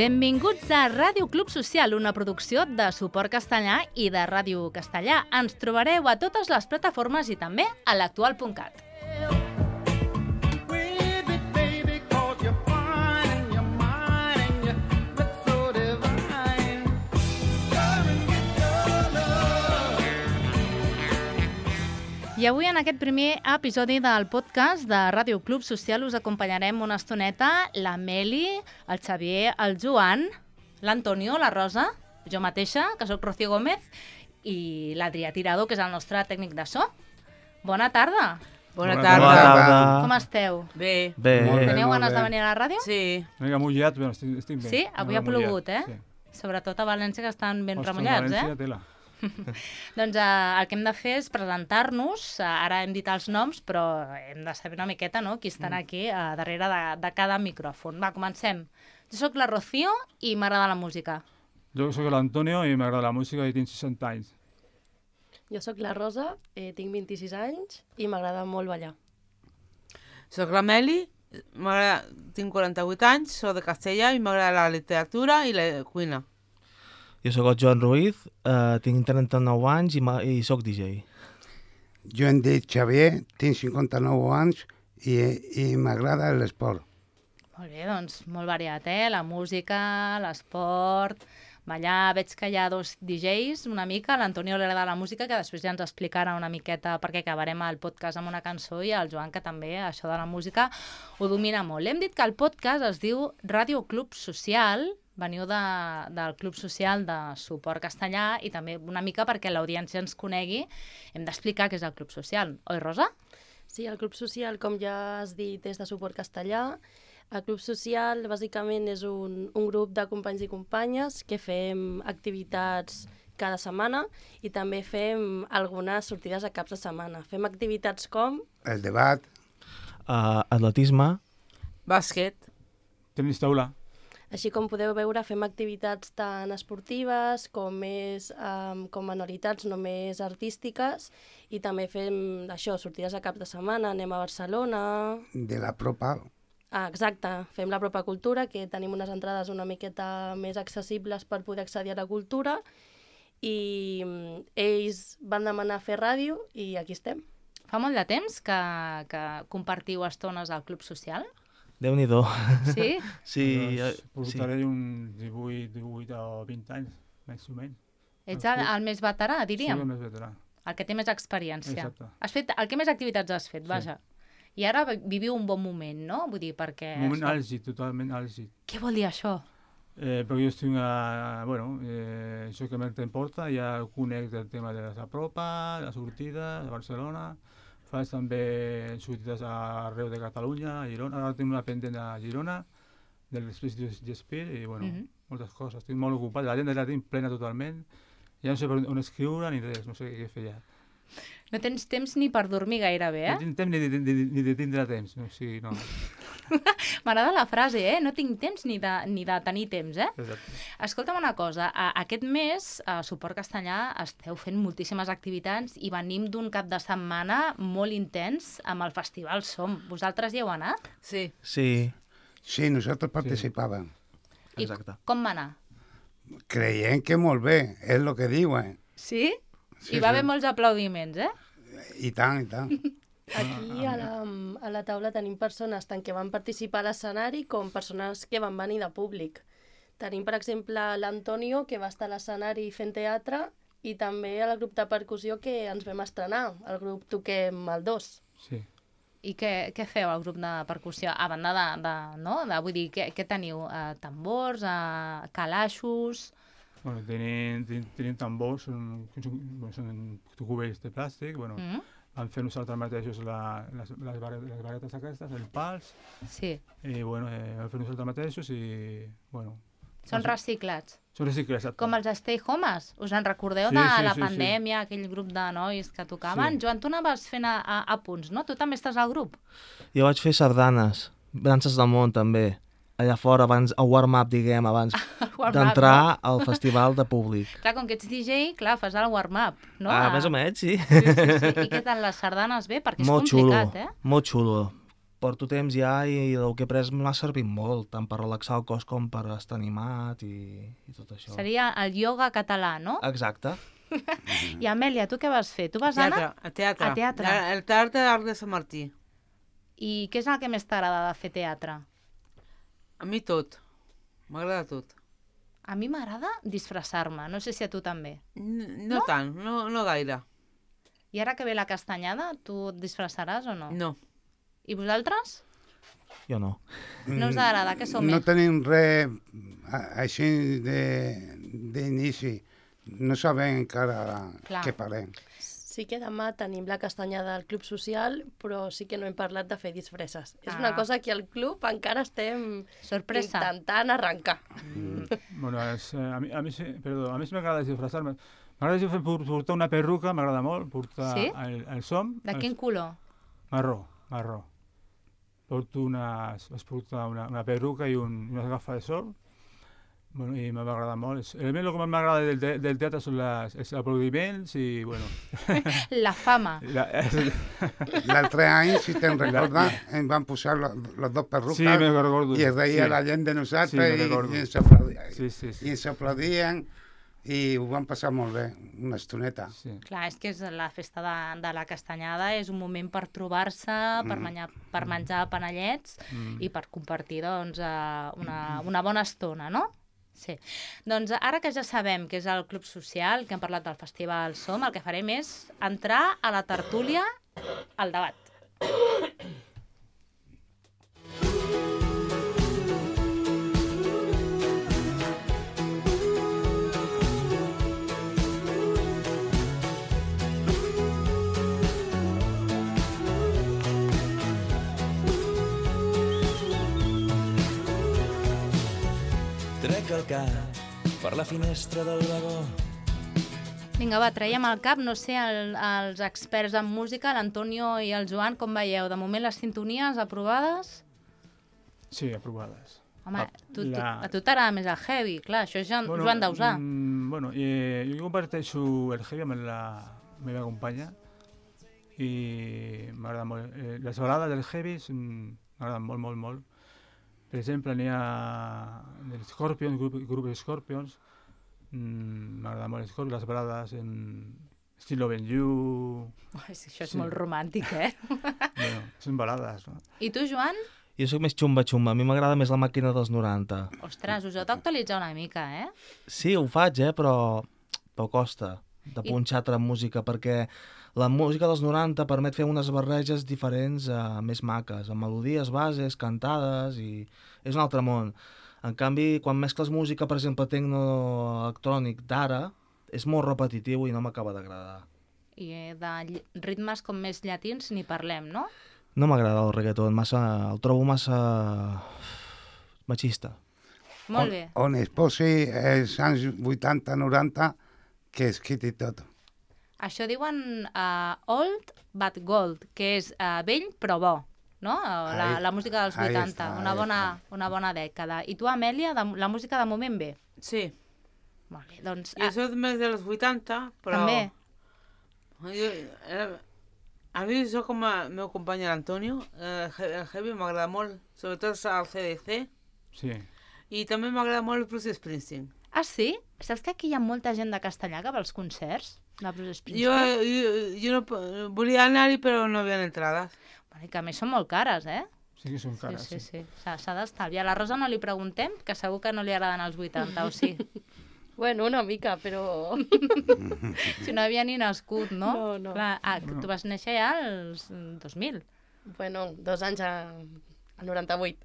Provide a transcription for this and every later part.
Benvinguts a Ràdio Club Social, una producció de Suport Castellà i de Ràdio Castellà. Ens trobareu a totes les plataformes i també a l'actual.cat. I avui, en aquest primer episodi del podcast de Ràdio Club Social, us acompanyarem una estoneta la Meli, el Xavier, el Joan, l'Antonio, la Rosa, jo mateixa, que sóc Rocío Gómez, i l'Adrià Tirado, que és el nostre tècnic de so. Bona tarda. Bona tarda. Com esteu? Bé. Teniu ganes de venir a la ràdio? Sí. Una mica mullat, però estic bé. Sí? Avui ha plogut, eh? Sí. Sobretot a València, que estan ben remullats, eh? Tela. Doncs el que hem de fer és presentar-nos. Ara hem dit els noms, però hem de saber una miqueta, no?, qui estan aquí darrere de cada micròfon. Va, comencem. Jo sóc la Rocío i m'agrada la música. Jo sóc l'Antonio i m'agrada la música i tinc 60 anys. Jo sóc la Rosa, tinc 26 anys i m'agrada molt ballar. Soc la Meli, tinc 48 anys, soc de Castellà i m'agrada la literatura i la cuina. Jo sóc el Joan Ruiz, tinc 39 anys i sóc DJ. Jo em dic Xavier, tinc 59 anys i m'agrada l'esport. Molt bé, doncs molt variat, la música, l'esport, ballar. Veig que hi ha dos DJs una mica, l'Antonio li agrada la música, que després ja ens explicarà una miqueta perquè acabarem el podcast amb una cançó, i el Joan, que també això de la música ho domina molt. Hem dit que el podcast es diu Ràdio Club Social. Veniu del Club Social de Suport Castellà i també una mica perquè l'audiència ens conegui hem d'explicar què és el Club Social. Oi, Rosa? Sí, el Club Social, com ja has dit, és de Suport Castellà. El Club Social, bàsicament, és un grup de companys i companyes que fem activitats cada setmana i també fem algunes sortides a caps de setmana. Fem activitats com... El debat. Atletisme. Bàsquet. Tenis taula. Així com podeu veure, fem activitats tan esportives com manualitats només artístiques i també fem això, sortides a cap de setmana, anem a Barcelona... De la propa. Exacte, fem la propa cultura, que tenim unes entrades una miqueta més accessibles per poder accedir a la cultura i ells van demanar fer ràdio i aquí estem. Fa molt de temps que compartiu estones al Club Social? Déu-n'hi-do. Sí? Sí. Portaré uns 18 o 20 anys, més o menys. Ets el més veterà, diríem? Sí, el més veterà. El que té més experiència. Exacte. El que més activitats has fet, vaja. I ara viviu un bon moment, no? Vull dir, perquè... Un moment àlgid, totalment àlgid. Què vol dir això? Perquè jo estic això que més t'importa, ja conec el tema de la propa, la sortida, de Barcelona... Faig també sortides arreu de Catalunya, a Girona. Ara tinc una pendent a Girona, de l'Express Gespir, i moltes coses. Estic molt ocupat, l'agenda la tinc plena totalment. Ja no sé per on escriure ni res, no sé què fer ja. No tens temps ni per dormir gairebé, eh? No tinc temps ni de tindre temps, o sigui, no. M'agrada la frase, no tinc temps ni de tenir temps, eh? Exacte. Escolta'm una cosa, aquest mes a Suport Castellà esteu fent moltíssimes activitats i venim d'un cap de setmana molt intens amb el Festival Som. Vosaltres hi heu anat? Sí. Sí, nosaltres participàvem. Exacte. I com va anar? Creiem que molt bé, és el que diuen. Sí? Hi va haver molts aplaudiments, eh? I tant, i tant. Aquí a la taula tenim persones tant que van participar a l'escenari com persones que van venir de públic. Tenim, per exemple, l'Antonio, que va estar a l'escenari fent teatre, i també el grup de percussió que ens vam estrenar, el grup Toquem el 2. Sí. I què feu al grup de percussió? A banda vull dir, què teniu? Tambors, calaixos... Bueno, tenim tambors, són cubells de plàstic, vam fer nosaltres mateixos les varetes aquestes, els pals, i vam fer nosaltres mateixos i, Són reciclats? Són reciclats, exacte. Com els Stay Homes? Us en recordeu de la pandèmia, aquell grup de nois que tocaven? Joan, tu anaves fent a punts, no? Tu també estàs al grup? Jo vaig fer sardanes, danses del món també. Allà fora, abans, el warm-up, diguem, abans d'entrar al festival de públic. Clar, com que ets DJ, clar, fas el warm-up, no? Més o menys, sí. Sí. I què tal, les sardanes bé? Perquè és complicat, eh? Molt xulo. porto temps ja i el que he pres m'ha servit molt, tant per relaxar el cos com per estar animat i tot això. Seria el ioga català, no? Exacte. I Amèlia, tu què vas fer? Tu vas anar A teatre. a teatre. El teatre d'Arc de Sant Martí. I què és el que més t'agrada de fer teatre? A mi tot. M'agrada tot. A mi m'agrada disfressar-me, no sé si a tu també. No tant, no gaire. I ara que ve la castanyada, tu et disfressaràs o no? No. I vosaltres? Jo no. No us agrada, què som? No tenim res així d'inici. No sabem encara Clar. què farem. Sí que demà tenim la castanyada del Club Social, però sí que no hem parlat de fer disfresses. És una cosa que al club encara estem Sorpresa. intentant arrencar. Bueno, a mi sí m'agrada disfressar-me. M'agrada portar una perruca, m'agrada molt, portar Sí? el som. De quin color? Marró. Porto es porta una perruca i unes gafes de sol. Bueno, i m'agrada molt. El que m'agrada del teatre són els aplaudiments i, bueno... La fama. L'altre any, si te'n recordes, em van posar les dos perruques Sí, me recordo. i es reia Sí. la gent de nosaltres Sí, me recordo. i ens aplaudien. Sí. I ens aplaudien i ho van passar molt bé, una estoneta. Sí. Clar, és que és la festa de la castanyada és un moment per trobar-se, per menjar panellets i per compartir doncs, una bona estona, no? Sí. Doncs ara que ja sabem que és el Club Social, que hem parlat del Festival Som, el que farem és entrar a la tertúlia, al debat. Trec el cap per la finestra del vagó. Vinga, va, traiem al cap, no sé, els experts en música, l'Antonio i el Joan, com veieu? De moment les sintonies aprovades? Sí, aprovades. Home, a tu t'agrada més el heavy, clar, això és Joan Dausà. Bueno, jo comparteixo el heavy amb la meva companya i m'agrada molt. Les balades del heavy m'agraden molt. Per exemple, n'hi ha el Scorpions, grup de Scorpions, m'agrada molt Scorpions, les balades en Still Loving You... Això és molt romàntic, eh? Bueno, són balades, no? I tu, Joan? Jo sóc més xumba-xumba, a mi m'agrada més la màquina dels 90. Ostres, us heu d'actualitzar una mica, eh? Sí, ho faig, però costa de punxar altra música, perquè la música dels 90 permet fer unes barreges diferents, més maques, amb melodies bases, cantades, i és un altre món. En canvi, quan mescles música, per exemple, tecno-electrònic d'ara, és molt repetitiu i no m'acaba d'agradar. I de ritmes com més llatins ni parlem, no? No m'agrada el reggaeton, el trobo massa machista. Molt bé. On es posi els anys 80-90, que es quiti tot. Això diuen old but gold, que és vell però bo, no? La música dels 80, una bona dècada. I tu, Amèlia, la música de moment bé? Sí. Molt bé, doncs... Jo soc més dels 80, però... També? A mi soc com el meu company l'Antonio, el heavy m'agrada molt, sobretot el CDC. Sí. I també m'agrada molt el Bruce Springsteen. Ah, sí? Saps que aquí hi ha molta gent de Castellà que va als concerts de Bruce Springsteen? Jo no volia anar-hi, però no havia entrades. Bueno, i que a més són molt cares, eh? Sí que són cares, sí. S'ha d'estalviar. A la Rosa no li preguntem, que segur que no li agraden els 80, o sí? Bueno, una mica, però... Si no havia ni nascut, no? No. Clar, tu vas néixer ja als 2000. Bueno, 2 anys al 98.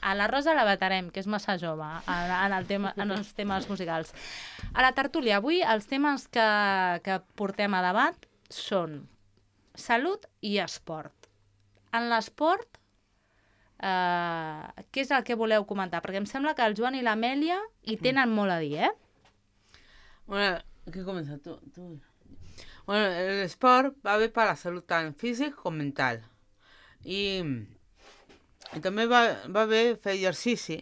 A la Rosa la vetarem, que és massa jove en els temes musicals. A la tertúlia, avui els temes que portem a debat són salut i esport. En l'esport, què és el que voleu comentar? Perquè em sembla que el Joan i l'Amèlia hi tenen molt a dir, eh? Bueno, ¿qué comienza tú? Bueno, el sport va bé per la salut tant físic com mental. I també va bé fer exercici,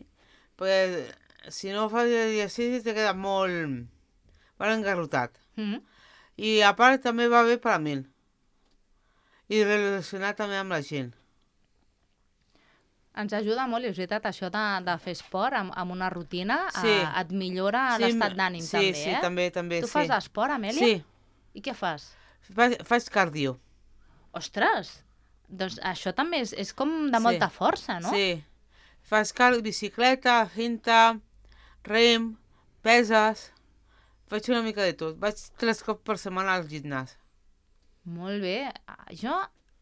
perquè si no fas exercici te quedes molt engarrotat. I a part també va bé per a mi. I relacionar també amb la gent. Ens ajuda molt, i és veritat, això de fer esport amb una rutina, Sí. et millora l'estat d'ànim també, Sí, també, Tu sí. fas esport, Amèlia? Sí, I què fas? faig cardio. Ostres, doncs això també és com de molta força, no? Sí, faig bicicleta, cinta, rem, peses, faig una mica de tot. Vaig 3 cops per setmana al gimnàs. Molt bé. Jo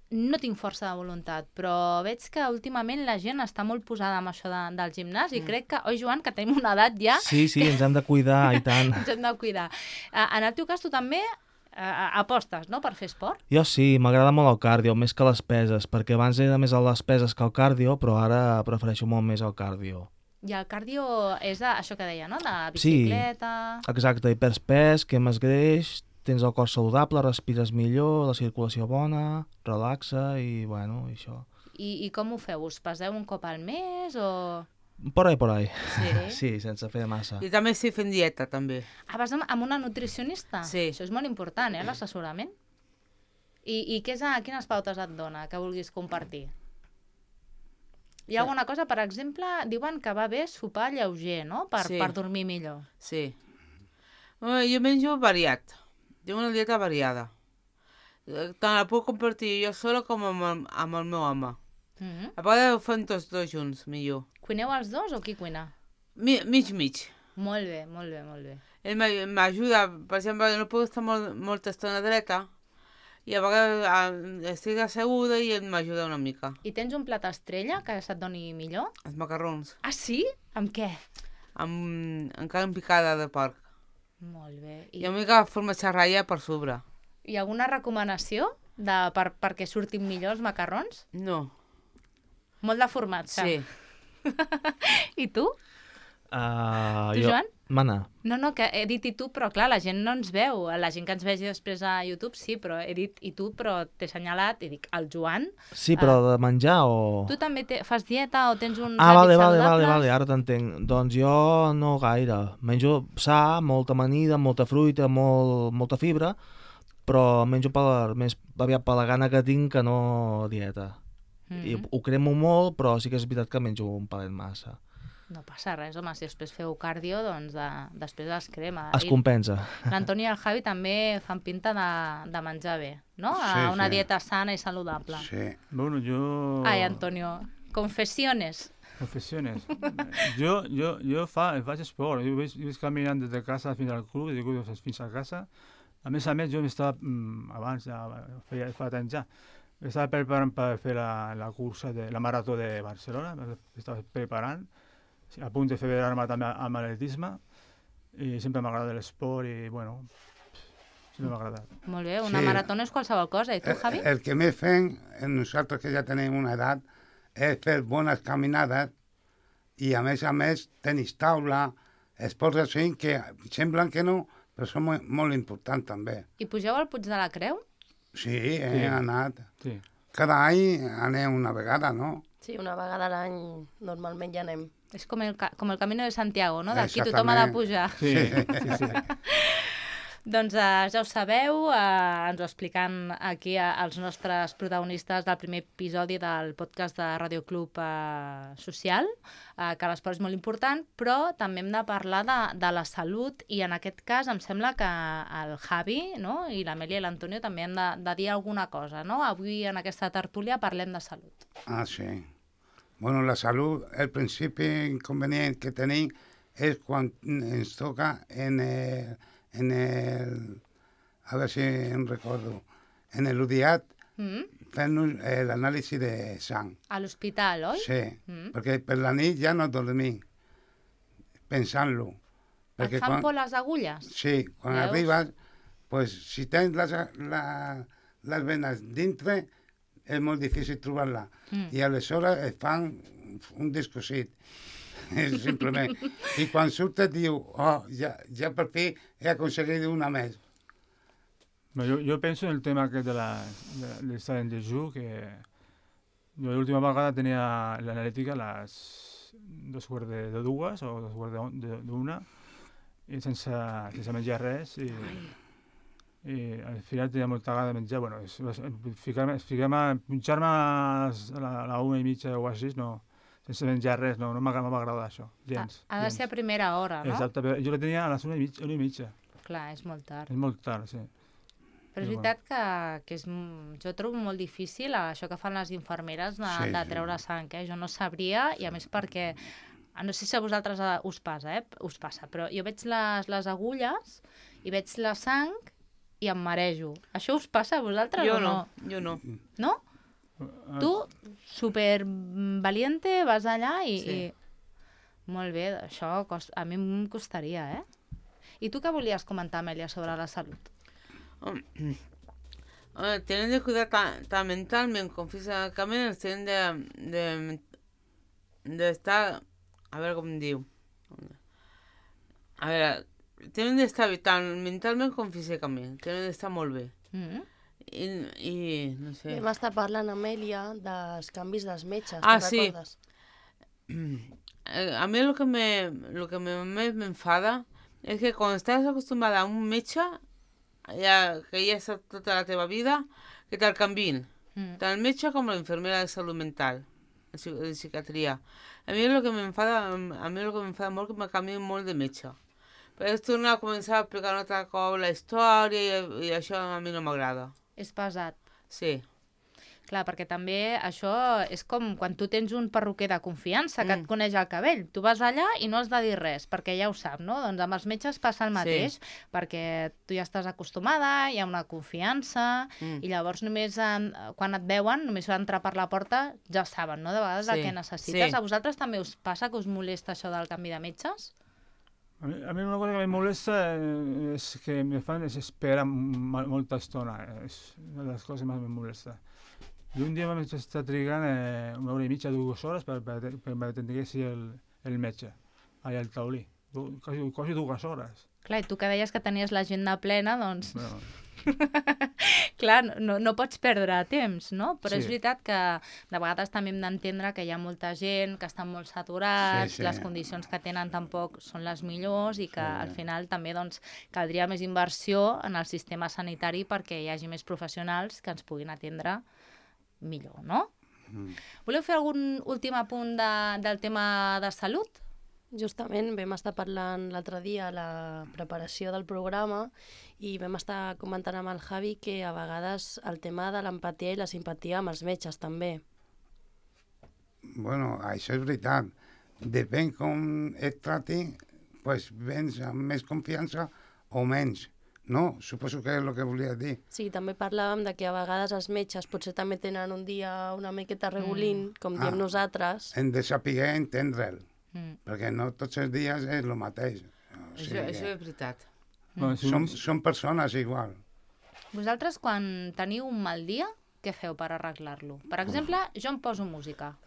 no tinc força de voluntat, però veig que últimament la gent està molt posada amb això del gimnàs i crec que, oi, Joan, que tenim una edat ja, Sí, ens hem de cuidar, i tant. ens hem de cuidar. En el teu cas, tu també apostes, no?, per fer esport? Jo sí, m'agrada molt el cardio, més que les peses, perquè abans era més a les peses que el cardio, però ara prefereixo molt més el cardio. I el cardio és això que deia, no?, de Sí. bicicleta... Exacte, i perds pes, quemes greix, tens el cor saludable, respires millor, la circulació bona, relaxa i, bueno, això. I com ho feu? Us peseu un cop al mes o...? Por ahí. Sí? Sí, sense fer massa. I també estic fent dieta, també. Vas amb una nutricionista? Sí. Això és molt important, l'assessorament. I quines pautes et dona que vulguis compartir? Hi ha alguna cosa, per exemple, diuen que va bé sopar lleuger, no?, per dormir millor. Sí. Jo menjo variat. Tinc una dieta variada. Tant la puc compartir jo sola com amb el meu home. A vegades ho fem tots dos junts, millor. Cuineu els dos o qui cuina? Mig. Molt bé, molt bé, molt bé. Ell m'ajuda, per exemple, no puc estar molta estona dreta i a vegades estic asseguda i ell m'ajuda una mica. I tens un plat estrella que se't doni millor? Els macarrons. Ah, sí? Amb què? Amb carn picada de porc. Molt bé. I una mica formatge ratlla per sobre. Hi ha alguna recomanació perquè surtin millor els macarrons? No. Molt de formatge. Sí. I tu? Tu, Joan? Mana. No, que he dit i tu, però clar, la gent no ens veu. La gent que ens vegi després a YouTube, sí, però he dit i tu, però t'he assenyalat i dic, el Joan... Sí, però de menjar o... Tu també fas dieta o tens uns hàbits saludables? Vale, ara t'entenc. Doncs jo no gaire. Menjo sa, molta amanida, molta fruita, molta fibra, però menjo més aviat per la gana que tinc que no dieta. I ho cremo molt, però sí que és veritat que menjo un palet massa. No passa res, home, si després feu cardio, doncs després es crema. Es compensa. L'Antoni i el Javi també fan pinta de menjar bé, no? Sí, Una sí. dieta sana i saludable. Sí. Bueno, yo... Ai, Antonio, confessiones. Confessiones. Jo faig esport. Jo vaig caminant des de casa fins al club, i dic, fins a casa. A més, jo m'estava, abans, ja fa temps ja, estava preparant per fer la cursa de la marató de Barcelona, estava preparant, a punt de federar-me també amb atletisme, i sempre m'agrada l'esport i, bueno, sempre m'ha agradat. Molt bé, una Sí. marató no és qualsevol cosa. I tu, Javi? El que més fem, nosaltres que ja tenim una edat, és fer bones caminades i a més tenis taula, esports així que semblen que no, però són molt importants també. I pugeu al Puig de la Creu? Sí, he anat. Sí. Cada any anem una vegada, no? Sí, una vegada a l'any normalment ja anem. És com el Camino de Santiago, no? D'aquí tothom ha de pujar. Sí, sí. Doncs ja ho sabeu, ens ho explican aquí els nostres protagonistes del primer episodi del podcast de Radio Club Social, que l'esport és molt important, però també hem de parlar de la salut i en aquest cas em sembla que el Javi, no? I l'Amèlia i l'Antonio també hem de dir alguna cosa, no? Avui en aquesta tertúlia parlem de salut. Ah, sí. Bueno, la salut, el principi inconvenient que tenim és quan ens toca en el a veure si em recordo, en l'UDIAT fent l'anàlisi de sang. A l'hospital, oi? Sí, perquè per la nit ja no dormim, pensant-lo. Et fan por les agulles? Sí, quan Veus? arribes, pues, si tens les venes dintre, és molt difícil trobar-la. I aleshores et fan un descosit. Simplement. I quan surt et diu, ja per fi he aconseguit una més. Jo penso en el tema aquest de l'estat en dejú, que jo l'última vegada tenia l'analítica a les 2:45 o 2:45, i sense menjar res, i al final tenia molta gana de menjar. Bueno, punxar-me a la 1:30 o així, no sense menjar res, no m'agrada això, gens. Ha de ser a primera hora, no? Exacte, però jo la tenia a les 1:30. Clar, és molt tard. És molt tard, sí. Però és veritat que jo trobo molt difícil això que fan les infermeres de treure sang, Jo no sabria, i a més perquè, no sé si a vosaltres us passa, però jo veig les agulles i veig la sang i em marejo. Això us passa a vosaltres o no? Jo no. No? Tu, super valiente, vas allà i... Molt bé, això a mi em costaria, I tu què volies comentar, Amèlia, sobre la salut? Tienen de cuidar tan mentalmente como físicamente, tienen de estar, a ver cómo digo, a ver, tienen de estar tan mentalment com físicament, tenen d'estar molt bé. I no sé... Vam estar parlant, Amèlia, dels canvis dels metges, sí. Recordes? A mí lo que me enfada es que cuando estás acostumbrada a un metge, que ja és tota la teva vida, que te'l canviïn. Tant el metge com l'infermera de salut mental, de psiquiatria. A mi el que m'enfada molt que me canviïn molt de metge. Però és tornar a començar a explicar un altre cop la història i això a mi no m'agrada. És pesat. Sí. Clar, perquè també això és com quan tu tens un perruquer de confiança que et coneix el cabell. Tu vas allà i no has de dir res, perquè ja ho sap, no? Doncs amb els metges passa el mateix, perquè tu ja estàs acostumada, hi ha una confiança, i llavors només quan et veuen, només entrar per la porta, ja saben, no? De vegades el que necessites. A vosaltres també us passa que us molesta això del canvi de metges? A mi una cosa que me molesta és que me fan esperar molta estona. És una de les coses que més me molesta. I un dia vam estar trigant 1 hora i mitja, 2 hores per m'atenguessi el metge, allà al taulí. Quasi 2 hores. Clar, i tu que deies que tenies l'agenda plena, doncs... Bueno. Clar, no pots perdre temps, no? Però és veritat que de vegades també hem d'entendre que hi ha molta gent, que estan molt saturats, les condicions que tenen tampoc són les millors i que al final també doncs, caldria més inversió en el sistema sanitari perquè hi hagi més professionals que ens puguin atendre millor, no? Voleu fer algun últim apunt del tema de salut? Justament vam estar parlant l'altre dia a la preparació del programa i vam estar comentant amb el Javi que a vegades el tema de l'empatia i la simpatia amb els metges també. Bueno, això és veritat. Depèn com et trati, doncs vens amb més confiança o menys. No? Suposo que és el que volia dir. Sí, també parlàvem de que a vegades els metges potser també tenen un dia una miqueta regulín, com diem nosaltres. Hem de saber entendre'l, perquè no tots els dies és el mateix. Això és veritat. Som persones igual. Vosaltres, quan teniu un mal dia, què feu per arreglar-lo? Per exemple, jo em poso música.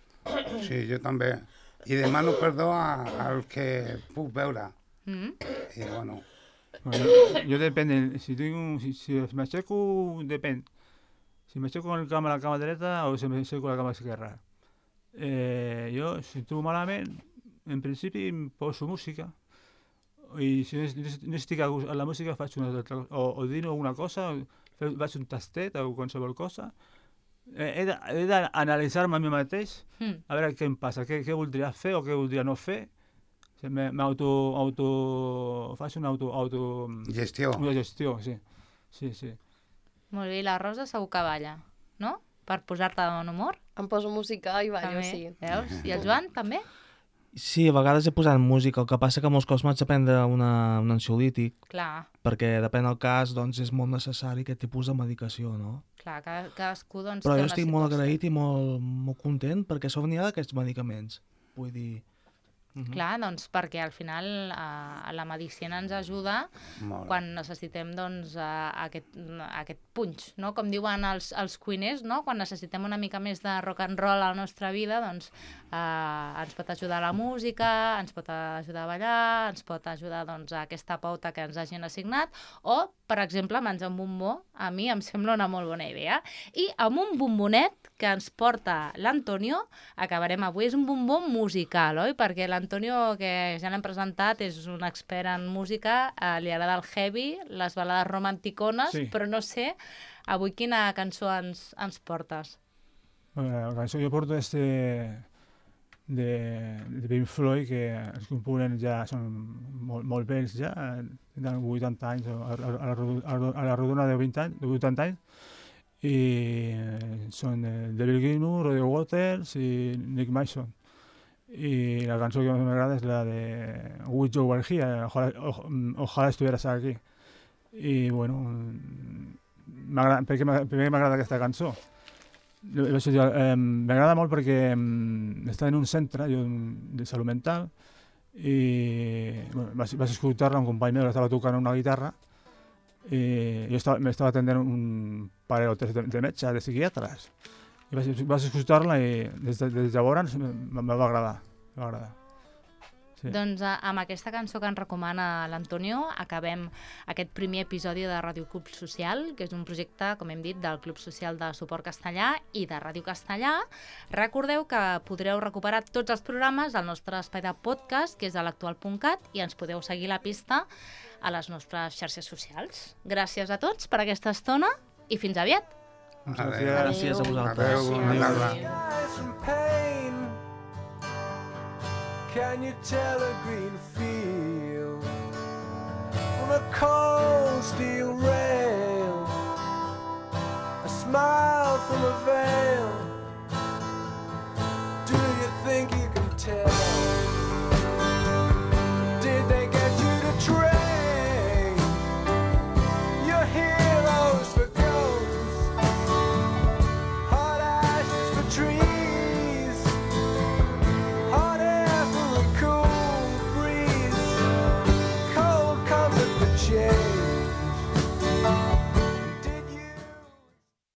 Sí, jo també. I demano perdó al que puc veure. I bueno... Yo depende, si me aixeco, depèn. Si m'aixeco amb la cama dreta o si m'aixeco amb la cama esquerra. Jo, si trobo malament, en principi em poso música i si no estic a la música faig una altra cosa, o dino alguna cosa, faig un tastet o qualsevol cosa. He d'analitzar-me a mi mateix, a veure què em passa, què voldria fer o què voldria no fer. Faig una gestió. Una gestió, sí. Molt bé, i la Rosa segur que balla, no? Per posar-te en humor. Em poso música i ballo, també. sí. Veus? I el Joan, també? Sí, a vegades he posat música, el que passa que molts cops m'haig de prendre un ansiolític. Clar. Perquè depèn del cas, doncs és molt necessari aquest tipus de medicació, no? Clar, cadascú doncs però té jo una estic situació. molt agraït i molt content perquè sóc n'hi ha d'aquests medicaments. Vull dir... Clar, doncs perquè al final la medicina ens ajuda quan necessitem doncs, aquest punx, no? Com diuen els cuiners, no? Quan necessitem una mica més de rock and roll a la nostra vida, doncs ens pot ajudar la música, ens pot ajudar a ballar, ens pot ajudar doncs, a aquesta pauta que ens hagin assignat, o, per exemple, menjar un bombó, a mi em sembla una molt bona idea. I amb un bombonet que ens porta l'Antonio, acabarem avui. És un bombó musical, oi? Perquè l'Antonio, que ja l'hem presentat, és un expert en música, li agrada el heavy, les balades romanticones, però no sé avui quina cançó ens portes. La cançó que jo porto és de Pink Floyd, que els components ja són molt vells ja, tenen 80 anys, a la rodona de 80 anys, i són David Gilmour, Roger Waters i Nick Mason. Y la canción que más me agrada es la de Wish You Were Here, ojalá estuvieras aquí. I bueno, per què m'agrada aquesta cançó? M'agrada molt perquè està en un centre de salut mental i bueno, vaig escoltar-la, un company meu que estava tocant una guitarra i jo m'estava atenent un parell o tres de metges, de psiquiatres. I vaig escoltar-la i des de llavors me va agradar. Sí. Doncs amb aquesta cançó que ens recomana l'Antonio acabem aquest primer episodi de Ràdio Club Social, que és un projecte, com hem dit, del Club Social de Suport Castellà i de Ràdio Castellà. Recordeu que podreu recuperar tots els programes al nostre espai de podcast, que és a l'actual.cat, i ens podeu seguir la pista a les nostres xarxes socials. Gràcies a tots per aquesta estona i fins aviat! Gràcies a vosaltres. Can you tell a green field from a cold steel rail? A smile from a